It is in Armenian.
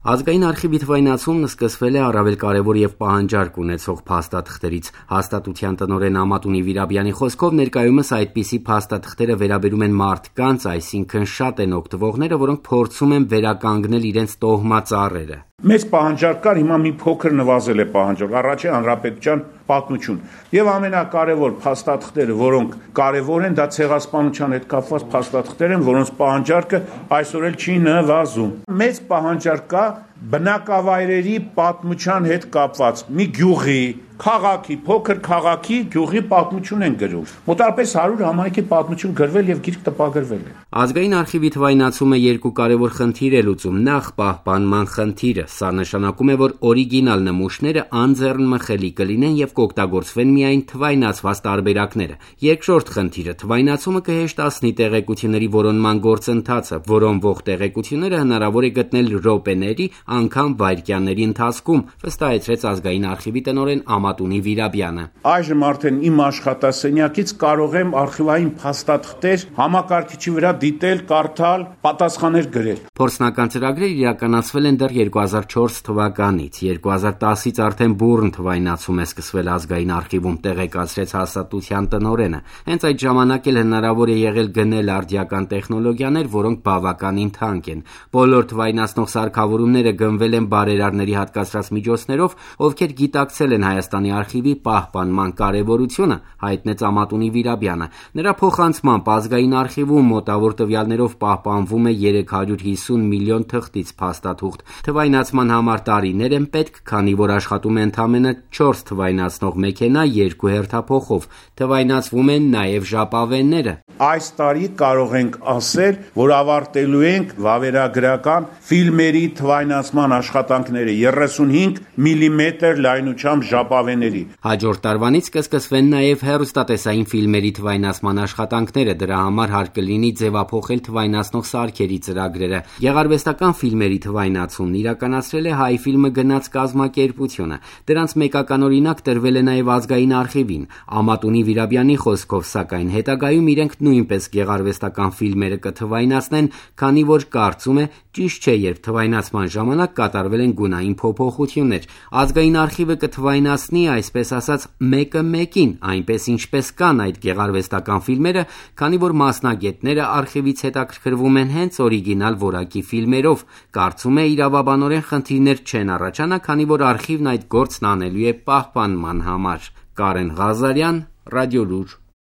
Ազգային արխիվի թվայնացումն սկսվել է առավել կարևոր եւ պահանջարկ ունեցող փաստաթղթերից։ Հաստատության տնօրեն Ամատունի Վիրաբյանի խոսքով ներկայումս այդպիսի փաստաթղթերը վերաբերում են մարդկանց, այսինքն շատ են օգտվողները, որոնք փորձում են վերականգնել իրենց տոհմածառերը։ Մեծ պահանջարկ կար, հիմա մի փոքր նվազել է պահանջարկ, առաջ է հանրապետության պատմություն։ Եվ ամենակարևոր փաստաթղթերը, որոնք կարևոր են, դա ցեղասպանության հետ կապված փաստաթղթեր են, որոնց պահանջարկը այսօր էլ չի նվազում։ Մեծ պահանջարկ կա բնակավայրերի պատմության հետ կապված մի գյուղի, քաղաքի, փոքր քաղաքի գյուղի պատմություն են գրում։ Մոտավորապես 100 համայնքի պատմություն գրվել եւ գիրք տպագրվել է։ Ազգային արխիվի թվայնացումը երկու կարևոր խնդիր է լուծում։ Նախ պահպանման խնդիրը։ Սա նշանակում է, որ օրիգինալ նմուշները անձեռնմխելի կլինեն եւ կօգտագործվեն միայն թվայնացված տարբերակները։ Երկրորդ խնդիրը թվայնացումը կհեշտացնի տեղեկությունների որոնման գործընթացը, որոնվող տեղեկությունները հնարավոր է գտնել րոպեների, անգամ վայրկյանների ընթացքում, վստահեցրեց ազգային արխիվի տնօրեն Ամատունի Վիրաբյանը։ Այժմ արդեն իմ աշխատասենյակից կարող եմ արխիվային փաստաթղթեր համակարգիչի վրա դիտել, կարդալ, պատասխաններ գրել։ Փորձնական ծրագրեր իրականացվել են դեռ 2004 թվականից։ 2010-ից արդեն բուռն թվայնացում է սկսվել ազգային արխիվում, տեղեկացրեց հաստատության տնօրենը։ Հենց այդ ժամանակ էլ հնարավոր է եղել գնել արդիական տեխնոլոգիաներ, որոնք բավականին թանկ են։ Բոլոր թվայնացնող սարքավորումները գնվել են բարերարների հատկացրած միջոցներով, ովքեր գիտակցել են Հայաստանի արխիվի պահպանման կարևորությունը, հայտնեց Ամատունի Վիրաբյանը։ Նրա փոխանցմամբ ազգային արխիվում մոտավոր տվյալներով պահպանվում է 350 միլիոն թղթից փաստաթուղթ։ Թվայնացման համար տարիներ են պետք, քանի որ աշխատում է ընդամենը 4 թվայնացնող մեքենա 2 հերթափոխով։ Թվայնացվում են նաև ժապավենները։ Այս տարի կարող ենք ասել, որ ավարտելու ենք վավերագրական ֆիլմերի թվայնացման աշխատանքները 35 մմ լայնությամբ ժապավենների։ Հաջորդ տարվանից կսկսվեն նաև հեռուստատեսային ֆիլմերի թվայնացման աշխատանքները, դրա համար հարկ կլինի ձևափոխել թվայնացնող սարքերի ծրագրերը։ Գեղարվեստական ֆիլմերի թվայնացումն իրականացրել է Հայֆիլմը գնաց կազմակերպությունը։ Դրանց մեկական օրինակ տրվել է նաև ազգային արխիվին։ Ամատունի Վիրաբյանի խոսքով, սակայն հետագայում իրենք նույնպես գեղարվեստական ֆիլմերը կթվայնացնեն, քանի որ կարծում է ճիշտ չէ, երբ թվայնացման ժամանակ կատարվել են գունային փոփոխություններ։ Ազգային արխիվը կթվայնացնի, այսպես ասած, մեկը մեկին, այնպես ինչպես կան այդ գեղարվեստական ֆիլմերը, քանի որ մասնագետները արխիվից հետաքրքրվում են հենց օրիգինալ որակի ֆիլմերով։ Կարծում է իրավաբանորեն խնդիրներ չեն առաջանա, քանի որ արխիվն այդ գործն անելու է պահպանման համար։ Կարեն Ղազարյան, Ռադիոլուր։